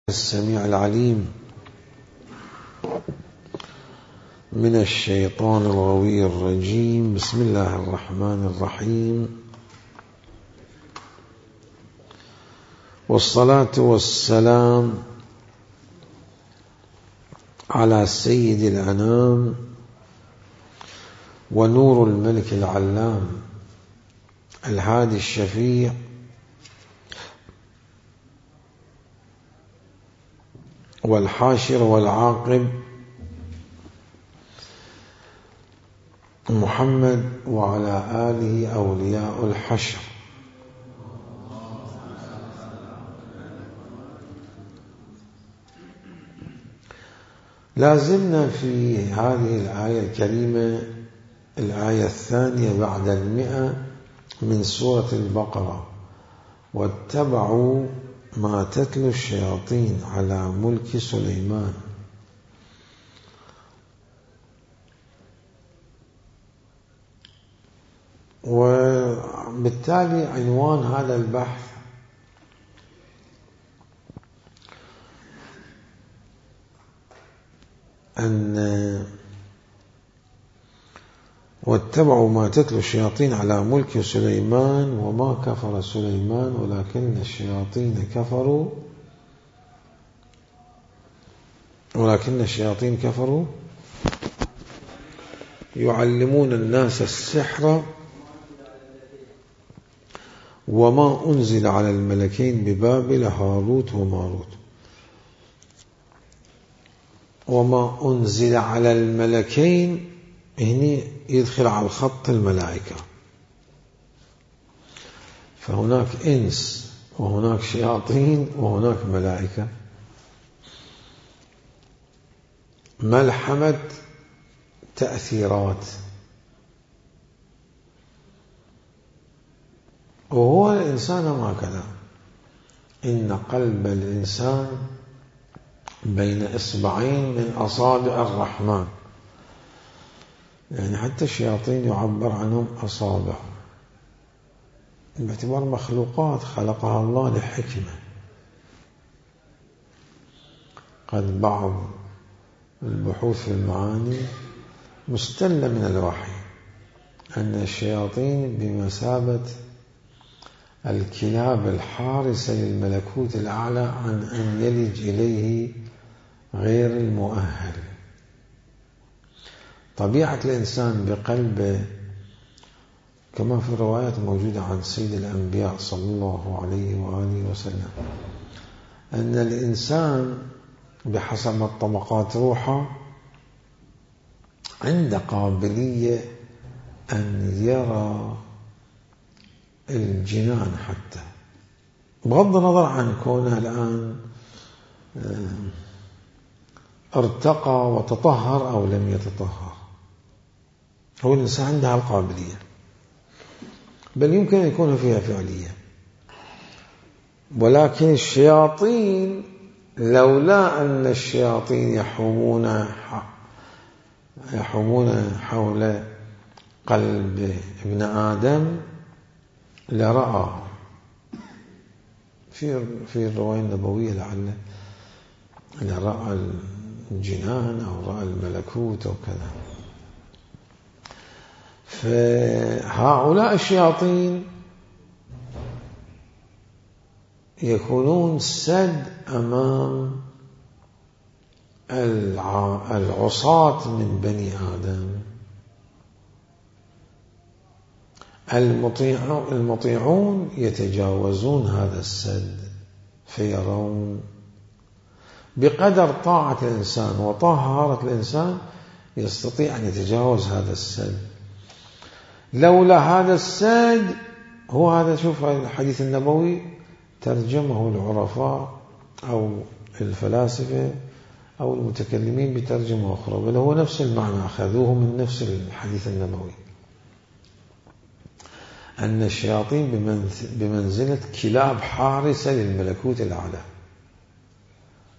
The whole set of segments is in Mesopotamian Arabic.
السميع العليم من الشيطان الغوي الرجيم. بسم الله الرحمن الرحيم، والصلاة والسلام على سيد الأنام ونور الملك العلام الهادي الشفيع والحاشر والعاقب محمد وعلى آله أولياء الحشر. لازلنا في هذه الآية الكريمة، الآية الثانية بعد 100 من سورة البقرة: واتبعوا ما تتلو الشياطين على ملك سليمان. وبالتالي عنوان هذا البحث أن واتبعوا ما تتلو الشياطين على ملك سليمان وما كفر سليمان ولكن الشياطين كفروا يعلمون الناس السحر وما أنزل على الملكين ببابل هاروت وماروت. وما أنزل على الملكين هنا يدخل على الخط الملائكة، فهناك إنس وهناك شياطين وهناك ملائكة، ملحمة تأثيرات. وهو الإنسان هكذا، إن قلب الإنسان بين إصبعين من أصابع الرحمن، يعني حتى الشياطين يعبر عنهم أصابع باعتبار مخلوقات خلقها الله لحكمة. قد بعض البحوث في المعاني مستلة من الوحي أن الشياطين بمثابة الكلاب الحارسة للملكوت الأعلى عن أن يلج إليه غير المؤهل. طبيعة الإنسان بقلبه كما في الروايات موجودة عن سيد الأنبياء صلى الله عليه وآله وسلم أن الإنسان بحسب الطبقات روحه عنده قابلية أن يرى الجنان، حتى بغض النظر عن كونه الآن ارتقى وتطهر أو لم يتطهر. هو الإنسان عنده القابلية، بل يمكن أن يكون فيها فعلية. ولكن الشياطين لولا أن الشياطين يحومون حول قلب ابن آدم لرأى في الرواية النبوية لرأى الجنان أو رأى الملكوت أو كذا. فهؤلاء الشياطين يكونون سد أمام العصاة من بني آدم. المطيعون يتجاوزون هذا السد، فيرون بقدر طاعة الإنسان وطهارة الإنسان يستطيع أن يتجاوز هذا السد. لولا هذا السد، هو هذا، شوف الحديث النبوي ترجمه العرفاء أو الفلاسفة أو المتكلمين بترجمة أخرى، بل هو نفس المعنى، أخذوه من نفس الحديث النبوي، أن الشياطين بمنزلة كلاب حارسة للملكوت الأعلى.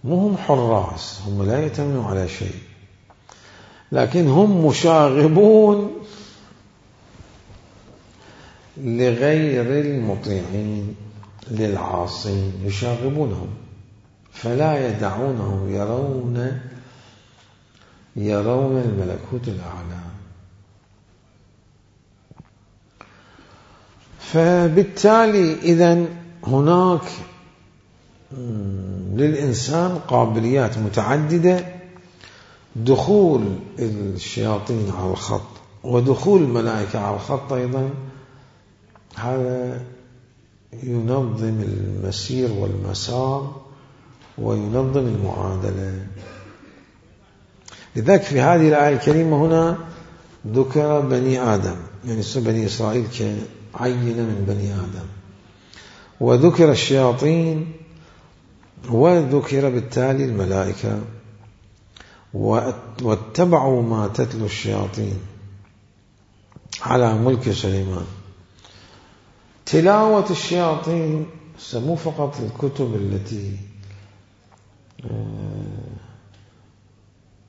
مو هم حراس، هم لا يتمنوا على شيء، لكن هم مشاغبون لغير المطيعين للعاصين، يشاغبونهم فلا يدعونهم يرون الملكوت الأعلى. فبالتالي إذن هناك للإنسان قابليات متعددة، دخول الشياطين على الخط ودخول الملائكة على الخط أيضا، هذا ينظم المسير والمسار وينظم المعادلة. لذلك في هذه الآية الكريمة هنا ذكر بني آدم، يعني بني إسرائيل كعينة من بني آدم، وذكر الشياطين، وذكر بالتالي الملائكة، واتبعوا ما تتلو الشياطين على ملك سليمان. تلاوة الشياطين مو فقط الكتب التي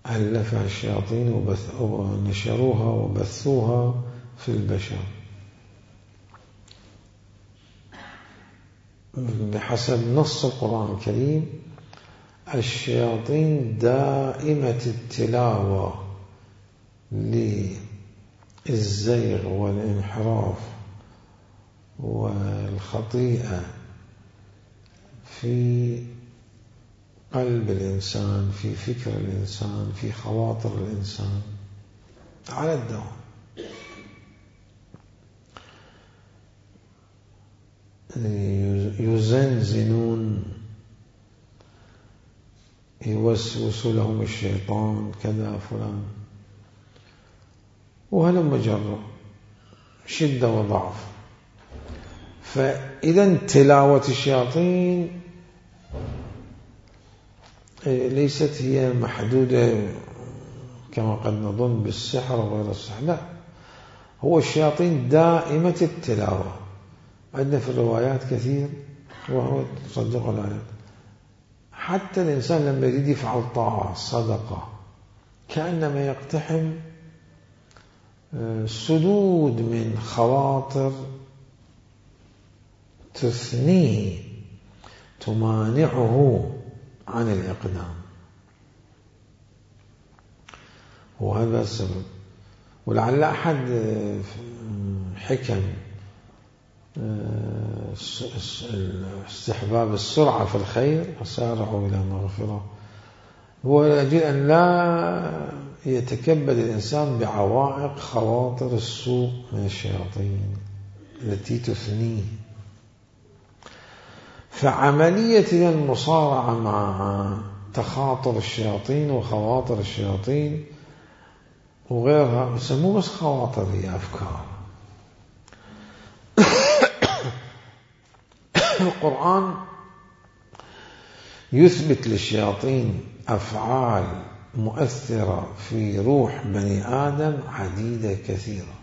ألفها الشياطين ونشروها وبثوها في البشر، بحسب نص القرآن الكريم الشياطين دائمة التلاوة للزيغ والانحراف والخطيئة في قلب الإنسان، في فكر الإنسان، في خواطر الإنسان على الدوام. يزنزنون، يوسوس لهم الشيطان كذا فلان، وهلم جرة، شدة وضعف. فإذا تلاوة الشياطين ليست هي محدودة كما قد نظن بالسحر وغير السحر، لا، هو الشياطين دائمة التلاوة. عندنا في الروايات كثير، وهو تصدق الآيات، حتى الإنسان لما يريد يفعل طاعة صدقة كأنما يقتحم سدود من خواطر تثنيه تمانعه عن الإقدام، وهذا السبب. ولعل أحد حكم استحباب السرعة في الخير، وسارعوا إلى مغفرة، هو يجب أن لا يتكبد الإنسان بعوائق خواطر السوء من الشياطين التي تثنيه. فعملية المصارعة مع تخاطر الشياطين وخواطر الشياطين وغيرها، مو بس خواطر، هي أفكار. القرآن يثبت للشياطين أفعال مؤثرة في روح بني آدم عديدة كثيرة.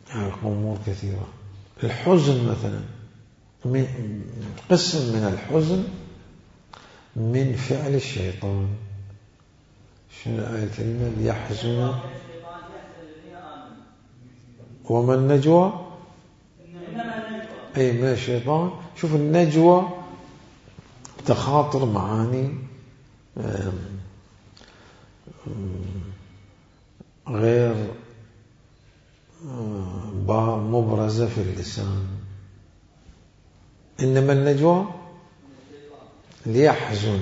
يعني أمور كثيرة. الحزن مثلا، قسم من الحزن من فعل الشيطان. شنو الآية الكريمة؟ ليحزن وما النجوى أي من الشيطان. شوف النجوى تخاطر معاني غير مبرزة في اللسان. إنما النجوى ليحزن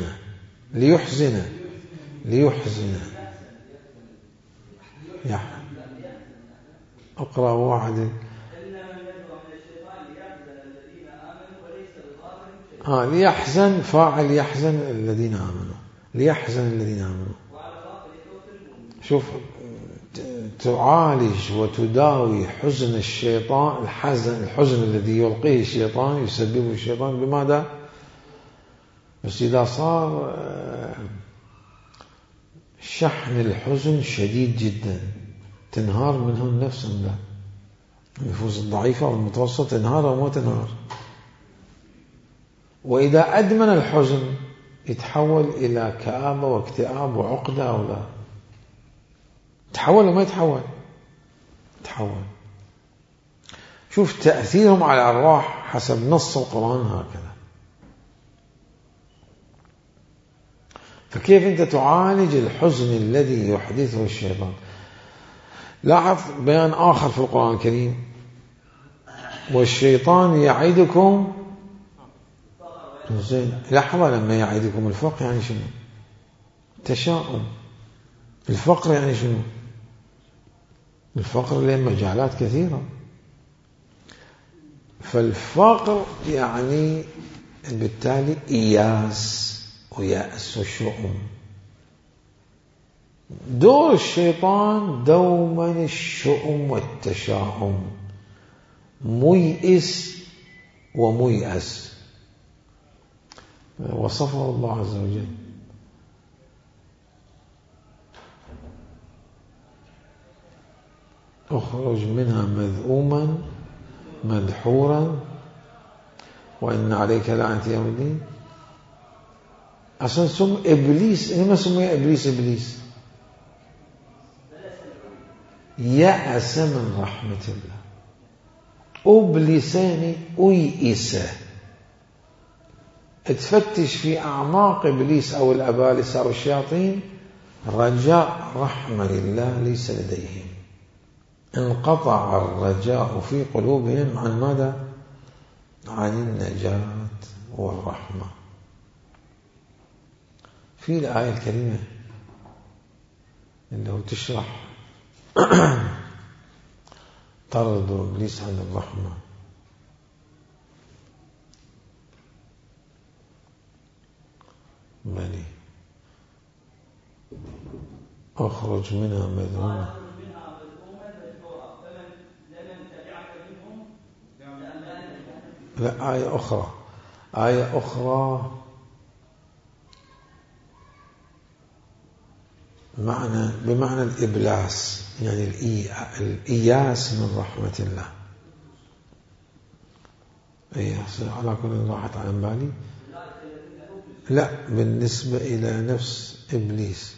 أقرأ واحد. ليحزن فاعل يحزن الذين آمنوا، ليحزن الذين آمنوا. شوف، تعالج وتداوي حزن الشيطان، الحزن الذي يلقيه الشيطان يسببه الشيطان. بماذا؟ بس إذا صار شحن الحزن شديد جدا تنهار منه النفس، لا، النفوس الضعيفة والمتوسط تنهار أو ما تنهار. وإذا أدمن الحزن يتحول إلى كآبة واكتئاب وعقدة أو لا؟ تحول وما يتحول؟ تحول. شوف تأثيرهم على الأرواح حسب نص القرآن هكذا. فكيف أنت تعالج الحزن الذي يحدثه الشيطان؟ لاحظ بيان آخر في القرآن الكريم: والشيطان يعدكم. زين، لحظة، لما يعدكم الفقر يعني شنو؟ تشاؤم. الفقر يعني شنو؟ الفقر له مجالات كثيرة. فالفقر يعني بالتالي إياس ويأس وشؤم. دور الشيطان دوما الشؤم والتشاؤم، ميئس وميأس. وصفه الله عز وجل: اخرج منها مذءوما مدحورا وإن عليك لعنة يوم الدين. أصلا سم إبليس، إنما سمي إبليس يأس من رحمة الله. أبلساني أيئس. تفتش في أعماق إبليس أو الأبالسة أو الشياطين، رجاء رحمة لله ليس لديهم. انقطع الرجاء في قلوبهم عن ماذا؟ عن النجاة والرحمة. في الآية الكريمة اللي هو تشرح طرد إبليس عن الرحمة: بني أخرج منها مذءوما. لا، آية أخرى بمعنى الإبلاس، يعني الإياس من رحمة الله. على كل راحت على بالي. لا، بالنسبة إلى نفس إبليس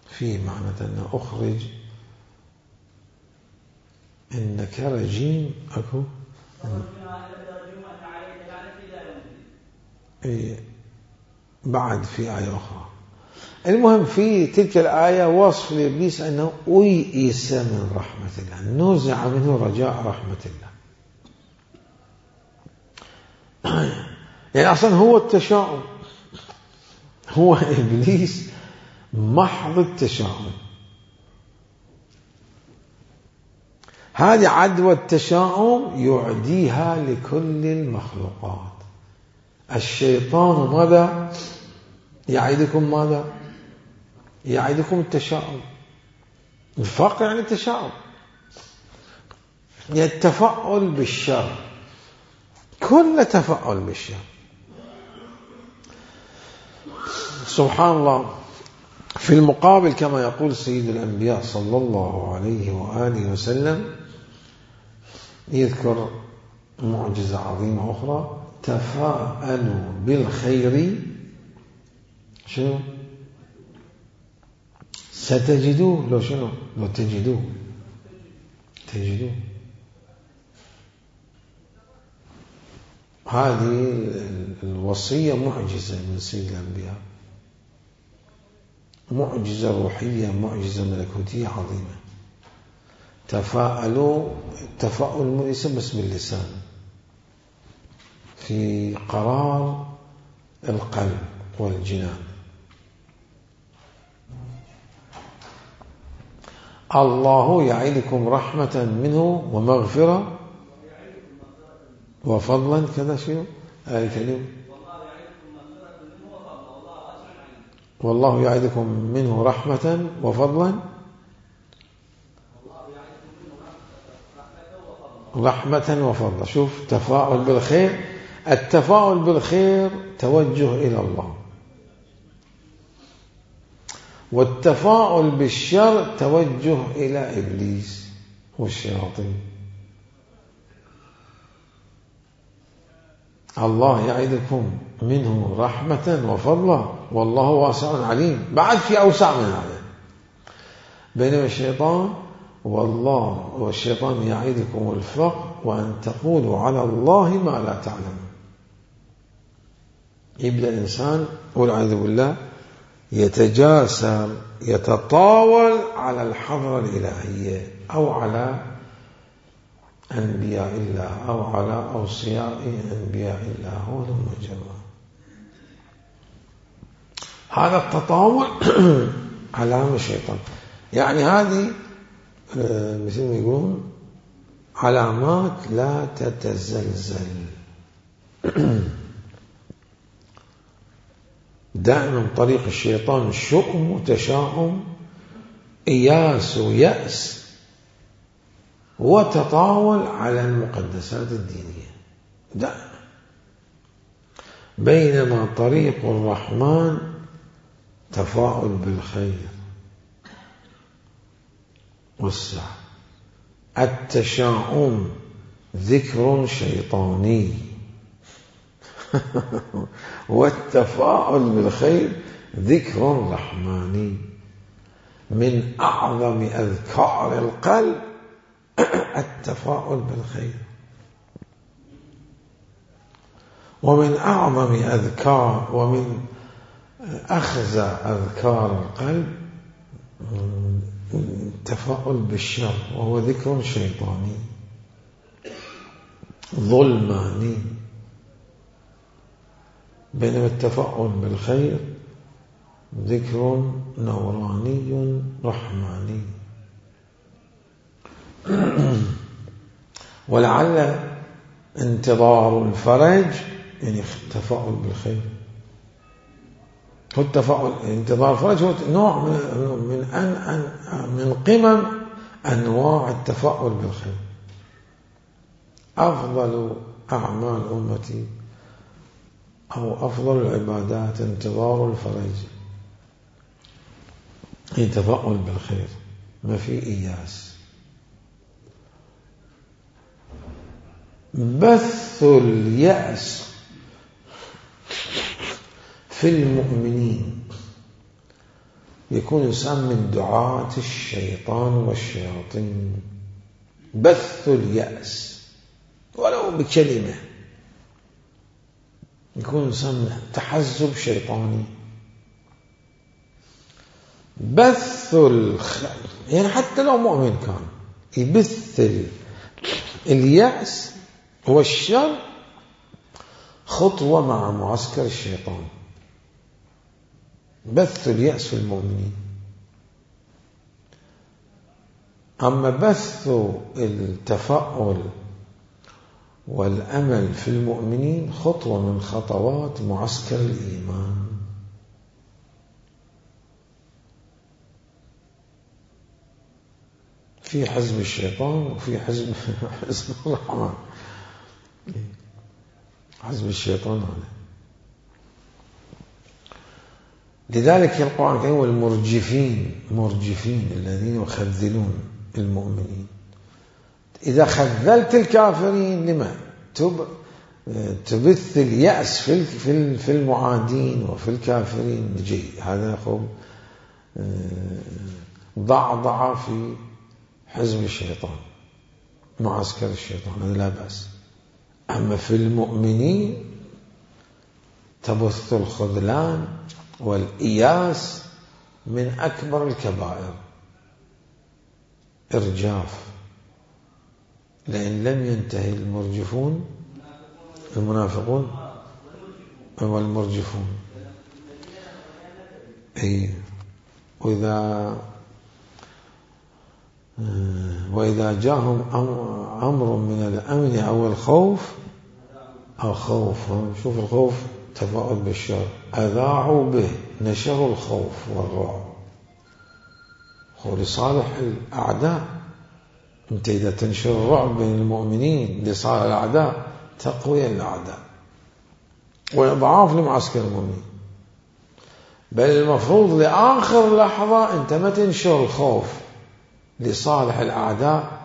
في معنى أن أخرج إنك رجيم. أكو بعد في آية أخرى. المهم في تلك الآية وصف لإبليس أنه أيئس من رحمة الله، نزع منه رجاء رحمة الله. يعني أصلا هو التشاؤم، هو إبليس محض التشاؤم. هذه عدوى التشاؤم يعديها لكل المخلوقات. الشيطان ماذا يعيدكم؟ ماذا يعيدكم؟ التشاؤم. الفقر يعني التشاؤم، يعني التفاؤل بالشر، كل تفاؤل بالشر. سبحان الله. في المقابل كما يقول سيد الأنبياء صلى الله عليه وآله وسلم، يذكر معجزة عظيمة أخرى: تفاءلوا بالخير شنو ستجدوه. لو شنو؟ لو تجدوه. هذه الوصية معجزة من سيد الأنبياء، معجزة روحية، معجزة ملكوتية عظيمة. تفاءلوا، التفاؤل ليس بس باللسان، في قرار القلب والجنان. الله يعيدكم رحمة منه ومغفرة وفضلا. كذا شيء آية كريمة: والله يعيدكم منه رحمة وفضلا. رحمة وفضلا. شوف، تفاؤل بالخير. التفاؤل بالخير توجه إلى الله، والتفاؤل بالشر توجه إلى إبليس والشياطين. الله يعدكم منه رحمة وفضلا والله واسع عليم. بعد في أوسع من هذا. بينما الشيطان والشيطان يعدكم الفقر وأن تقولوا على الله ما لا تعلمون. يبدأ الإنسان والعياذ بالله يتجاسر يتطاول على الحضرة الإلهية أو على أنبياء الله أو على أوصياء أنبياء الله. هو المجرد هذا التطاول علامة الشيطان. يعني هذه مثل ما يقولون علامات لا تتزلزل. دائما طريق الشيطان شؤم وتشاؤم، إياس ويأس، وتطاول على المقدسات الدينية دائما. بينما طريق الرحمن تفاؤل بالخير والسعة. التشاؤم ذكر شيطاني والتفاؤل بالخير ذكر رحماني. من أعظم أذكار القلب التفاؤل بالخير، ومن أعظم أذكار ومن أخزى أذكار القلب التفاؤل بالشر، وهو ذكر شيطاني ظلماني. بينما التفاؤل بالخير ذكر نوراني رحماني. ولعل انتظار الفرج يعني التفاؤل بالخير. هو التفاؤل انتظار الفرج هو نوع من قمم أنواع التفاؤل بالخير. أفضل أعمال أمتي أو أفضل العبادات انتظار الفرج، هي تفاؤل بالخير، ما في إياس. بث اليأس في المؤمنين يكون إنسان من دعاة الشيطان والشياطين. بث اليأس ولو بكلمة، يكون إنسان تحزب شيطاني. بث يعني حتى لو مؤمن كان يبث اليأس والشر خطوة مع معسكر الشيطان. بث اليأس في المؤمنين. أما بث التفاؤل والأمل في المؤمنين خطوة من خطوات معسكر الإيمان. في حزب الشيطان وفي حزب الرحمن. حزب الشيطان هذا. لذلك القرآن الكريم والمرجفين الذين يخذلون المؤمنين. إذا خذلت الكافرين لما تبث اليأس في المعادين وفي الكافرين. جيد، هذا خب ضعضع في حزب الشيطان معسكر الشيطان، هذا لا بأس. أما في المؤمنين تبث الخذلان والإياس من أكبر الكبائر. إرجاف. لأن لم ينتهي المرجفون المنافقون والمرجفون. وإذا جاءهم أمر من الأمن أو الخوف أو خوف، شوف الخوف تفاؤل بالشر، أذاعوا به، نشروا الخوف والرعب. هو لصالح الأعداء. أنت إذا تنشر الرعب بين المؤمنين لصالح الأعداء تقوي الأعداء وإضعاف لمعسكر المؤمنين. بل المفروض لآخر لحظة أنت ما تنشر الخوف لصالح الأعداء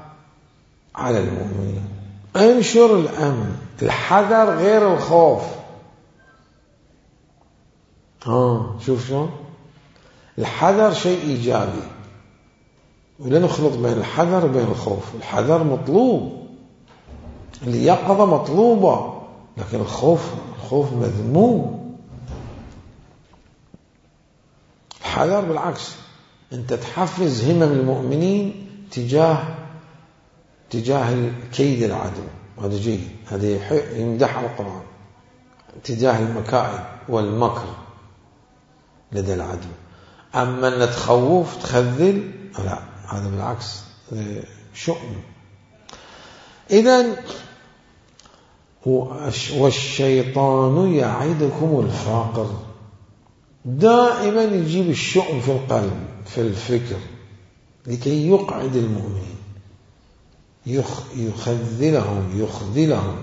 على المؤمنين. انشر الأمن، الحذر غير الخوف. شوف شلون الحذر شيء إيجابي، ولا نخلط بين الحذر وبين الخوف. الحذر مطلوب اليقظة مطلوبة، لكن الخوف مذموم. الحذر بالعكس، أنت تحفز همم المؤمنين تجاه كيد العدو، هذا جيد، هذا يمدح القرآن، تجاه المكائد والمكر لدى العدو. أما أن تخوف تخذل، لا، هذا بالعكس شؤم. إذن والشيطان يعدكم الفقر، دائما يجيب الشؤم في القلب في الفكر لكي يقعد المؤمنين، يخذلهم.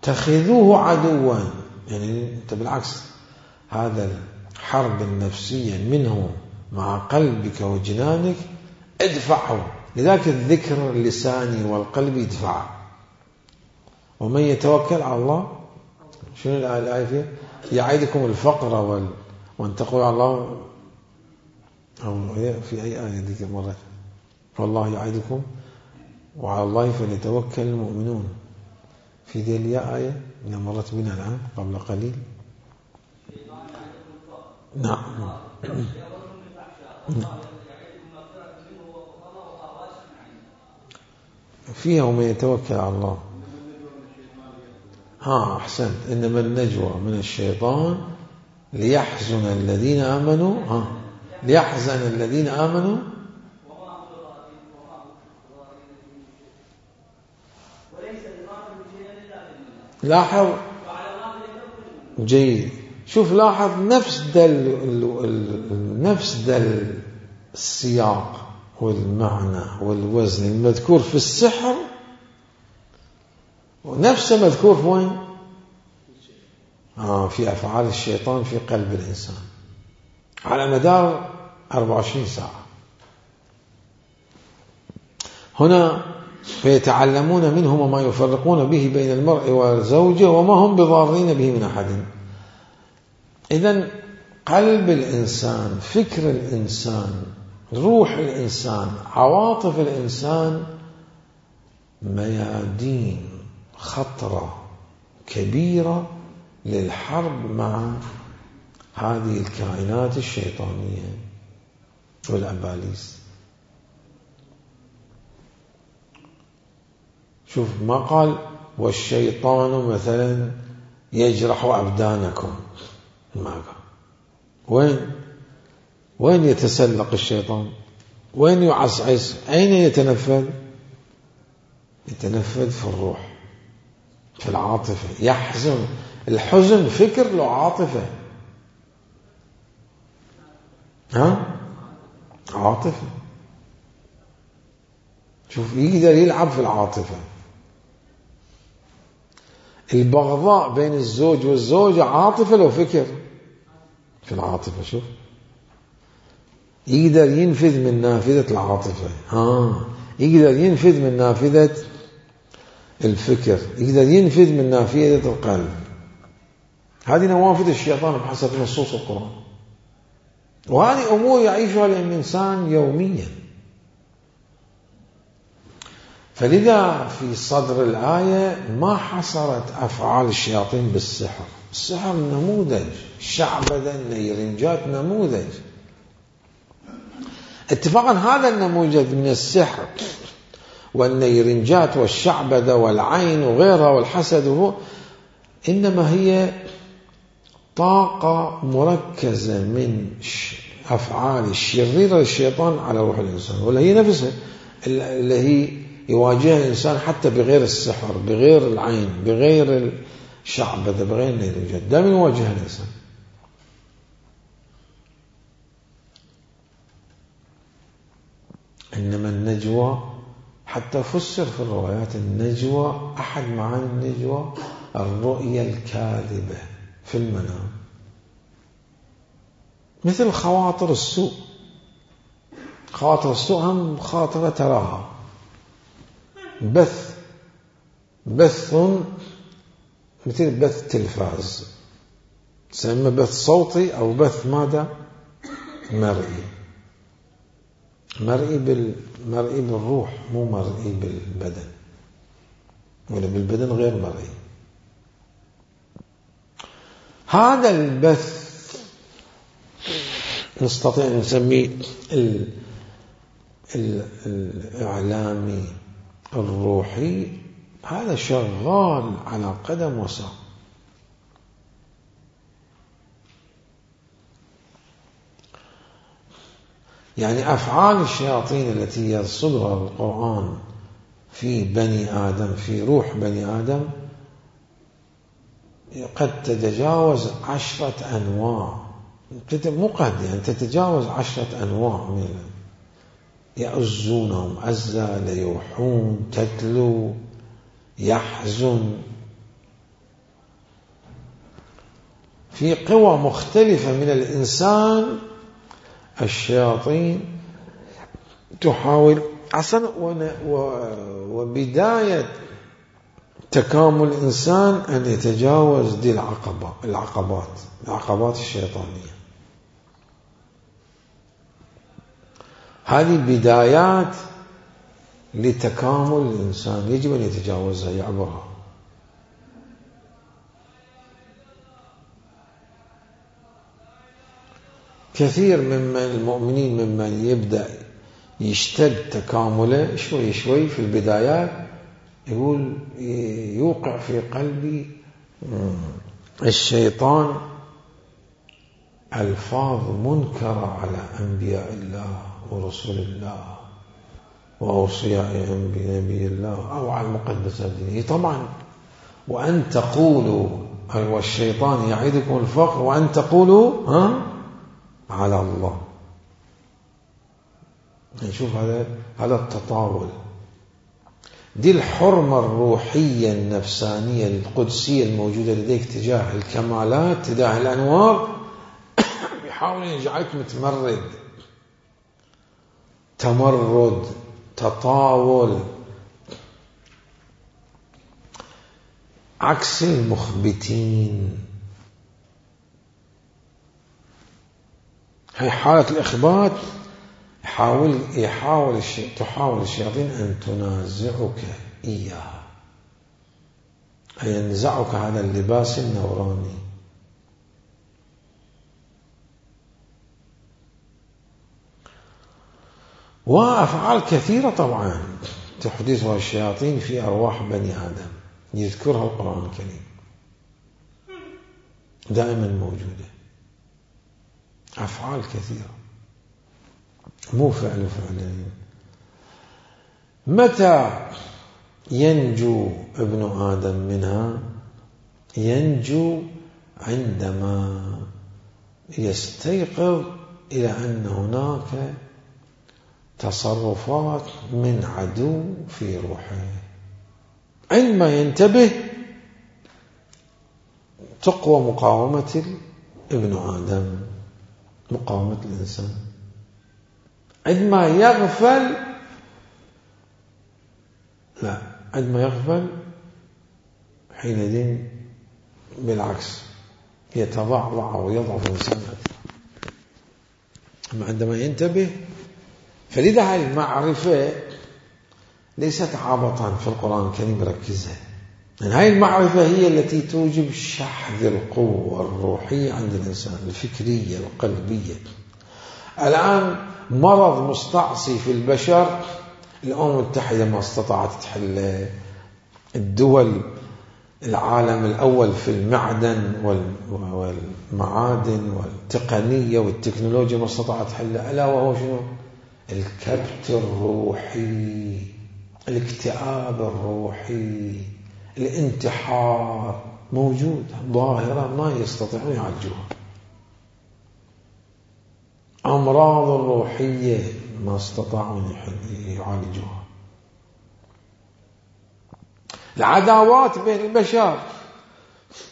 اتخذوه عدوا، يعني أنت بالعكس هذا الحرب النفسية منه مع قلبك وجنانك ادفعه. لذلك الذكر اللساني والقلب يدفع. ومن يتوكل على الله، شنو الآية فيها؟ يعيدكم الفقر وان تقول على الله، أو في أي آية ذيك مرة، والله يعيدكم وعلى الله فليتوكل المؤمنون. في ذي الآية اللي مرت بنا الآن قبل قليل. نعم. فيها ومن يتوكل على الله. أحسنت. إنما النجوى من الشيطان ليحزن الذين آمنوا ليحزن الذين آمنوا لاحظ جيد. شوف لاحظ نفس دل السياق والمعنى والوزن المذكور في السحر، ونفسه مذكور في وين؟ في أفعال الشيطان في قلب الإنسان على مدار 24 ساعة. هنا فيتعلمون منهما ما يفرقون به بين المرء وزوجه وما هم بضارين به من أحد. إذن قلب الإنسان، فكر الإنسان، روح الإنسان، عواطف الإنسان ميادين خطرة كبيرة للحرب مع هذه الكائنات الشيطانية والأباليس. شوف ما قال والشيطان مثلا يجرح أبدانكم، ما قال. وين يتسلق الشيطان؟ وين يعصعص؟ أين يتنفذ؟ يتنفذ في الروح، في العاطفة. يحزن، الحزن فكر له عاطفة، عاطفة. شوف يقدر يلعب في العاطفة. البغضاء بين الزوج والزوجة عاطفة لو فكر في العاطفة. شوف يقدر ينفذ من نافذة العاطفة، يقدر ينفذ من نافذة الفكر، يقدر ينفذ من نافذة القلب. هذه نوافذ الشيطان بحسب نصوص القرآن، وهذه أمور يعيشها الإنسان يوميا. فلذا في صدر الآية ما حصرت أفعال الشياطين بالسحر. السحر نموذج، الشعبذة، النيرنجات نموذج. اتفاقا هذا النموذج من السحر والنيرنجات والشعبذة والعين وغيرها والحسد إنما هي طاقة مركزة من أفعال الشريرة للشيطان على روح الإنسان، ولا هي نفسها اللي هي يواجهها الإنسان حتى بغير السحر، بغير العين، بغير الشعبذة، بغير النيرنجات، دائما يواجهها الإنسان. إنما النجوى حتى فسر في الروايات النجوى، أحد معاني النجوى الرؤية الكاذبة في المنام، مثل خواطر السوء. خواطر السوء هم خاطرة تراها، بث مثل بث تلفاز، تسمى بث صوتي أو بث ماذا؟ مرئي. مرئي بالروح، مو مرئي بالبدن، ولا بالبدن غير مرئي. هذا البث نستطيع أن نسميه الإعلامي الروحي، هذا شغال على قدم وساق. يعني أفعال الشياطين التي يرصدها القرآن في بني آدم، في روح بني آدم، قد تتجاوز 10 أنواع، مو قد يعني تتجاوز 10 أنواع من يأزونهم أزا، ليوحون، تتلو، يحزن، في قوى مختلفة من الإنسان. الشياطين تحاول أصلا، وبداية تكامل الإنسان أن يتجاوز دي العقبات الشيطانية. هذه بدايات لتكامل الإنسان، يجب أن يتجاوزها، يعبرها. كثير من المؤمنين ممن يبدأ يشتد تكامله شوي شوي في البدايات، يقول يوقع في قلبي الشيطان ألفاظ منكرة على أنبياء الله ورسول الله وأوصياء نبي الله أو على المقدسات الدينية. طبعا وأن تقولوا، والشيطان يعيدكم الفقر وأن تقولوا على الله. نشوف هذا التطاول، دي الحرمة الروحية النفسانية القدسية الموجودة لديك تجاه الكمالات، تجاه الأنوار. بيحاول يجعلك متمرد، تمرد، تطاول، عكس المخبتين. هي حالة الإخبات. تحاول الشياطين أن تنازعك إياها، أي ينزعك هذا اللباس النوراني. وأفعال كثيرة طبعا تحدثها الشياطين في أرواح بني آدم، يذكرها القرآن الكريم، دائما موجودة. أفعال كثيرة، مو فعلين. متى ينجو ابن آدم منها؟ ينجو عندما يستيقظ إلى أن هناك تصرفات من عدو في روحه. عندما ينتبه تقوى مقاومة ابن آدم، مقاومة الإنسان. عندما يغفل، لا، عندما يغفل حينئذ بالعكس يتضعضع ويضعف الإنسان أكثر. أما عندما ينتبه، فلذا هذه المعرفة ليست عبطا في القرآن الكريم، ركزها، لأن هذه المعرفة هي التي توجب شحذ القوة الروحية عند الإنسان، الفكرية القلبية. الآن مرض مستعصي في البشر، الأمم المتحدة ما استطاعت تحله، الدول العالم الأول في المعدن والمعادن والتقنية والتكنولوجيا ما استطاعت تحله، ألا وهو شنو؟ الكبت الروحي، الاكتئاب الروحي، الانتحار، موجود، ظاهرة ما يستطيعون يعالجوها. أمراض الروحية ما استطاعوا يعالجوها. العداوات بين البشر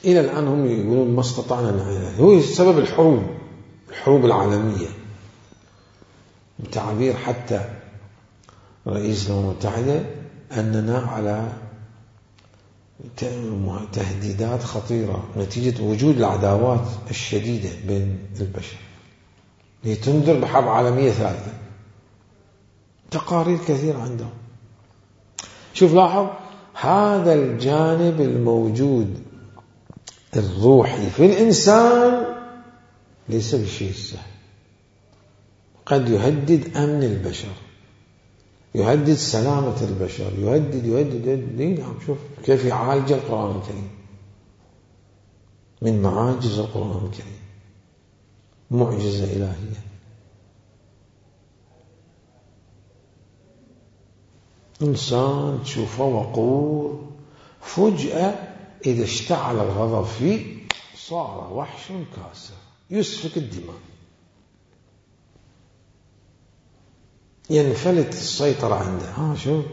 إلى الآن هم يقولون ما استطعنا نعالجها. هو سبب الحروب العالمية، بتعبير حتى رئيس الأمم المتحدة أننا على تهديدات خطيرة نتيجة وجود العداوات الشديدة بين البشر، لتنذر بحرب عالمية ثالثة. تقارير كثيرة عندهم. شوف لاحظ هذا الجانب الموجود الروحي في الإنسان ليس بالشيء السهل، قد يهدد أمن البشر، يهدد سلامة البشر، يهدد. نعم، شوف كيف يعالج القرآن الكريم من معاجز القرآن الكريم، معجزة إلهية. إنسان تشوفه وقور، فجأة إذا اشتعل الغضب فيه صار وحش كاسر يسفك الدماء، ينفلت السيطرة عنده. شوف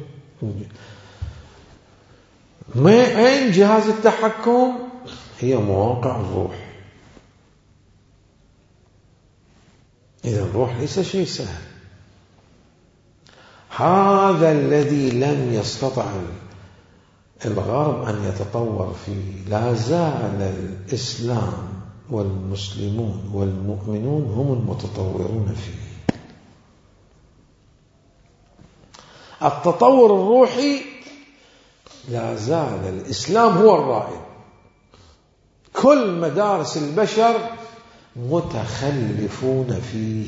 أين جهاز التحكم؟ هي مواقع الروح. إذا الروح ليس شيء سهل. هذا الذي لم يستطع الغرب أن يتطور فيه، لا زال الإسلام والمسلمون والمؤمنون هم المتطورون فيه. التطور الروحي لا زال الإسلام هو الرائد. كل مدارس البشر متخلفون فيه.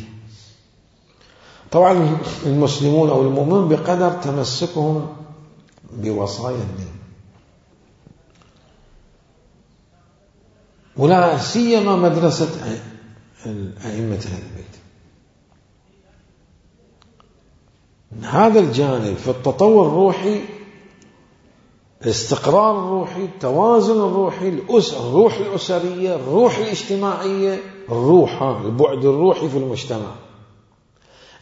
طبعا المسلمون أو المؤمنون بقدر تمسكهم بوصايا الدين، ولا سيما مدرسة أئمة أهل البيت. هذا الجانب في التطور الروحي، الاستقرار الروحي، التوازن الروحي، الروح الأسرية، الروح الاجتماعية، البعد الروحي في المجتمع،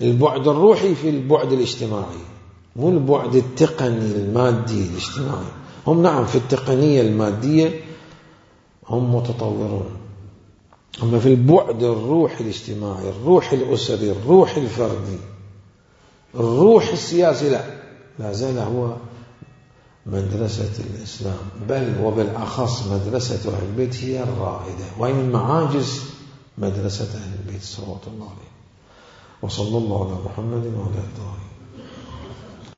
البعد الروحي في البعد الاجتماعي، مو البعد التقني المادي الاجتماعي. هم نعم في التقنية المادية هم متطورون، أما في البعد الروحي الاجتماعي، الروح الأسري، الروح الفردي، الروح السياسي، لا زال هو مدرسة الإسلام، بل وبالأخص مدرسة أهل البيت هي الرائدة، وهي من معاجز مدرسة أهل البيت صلوات الله عليه. وصلى الله على محمد وعلى آله.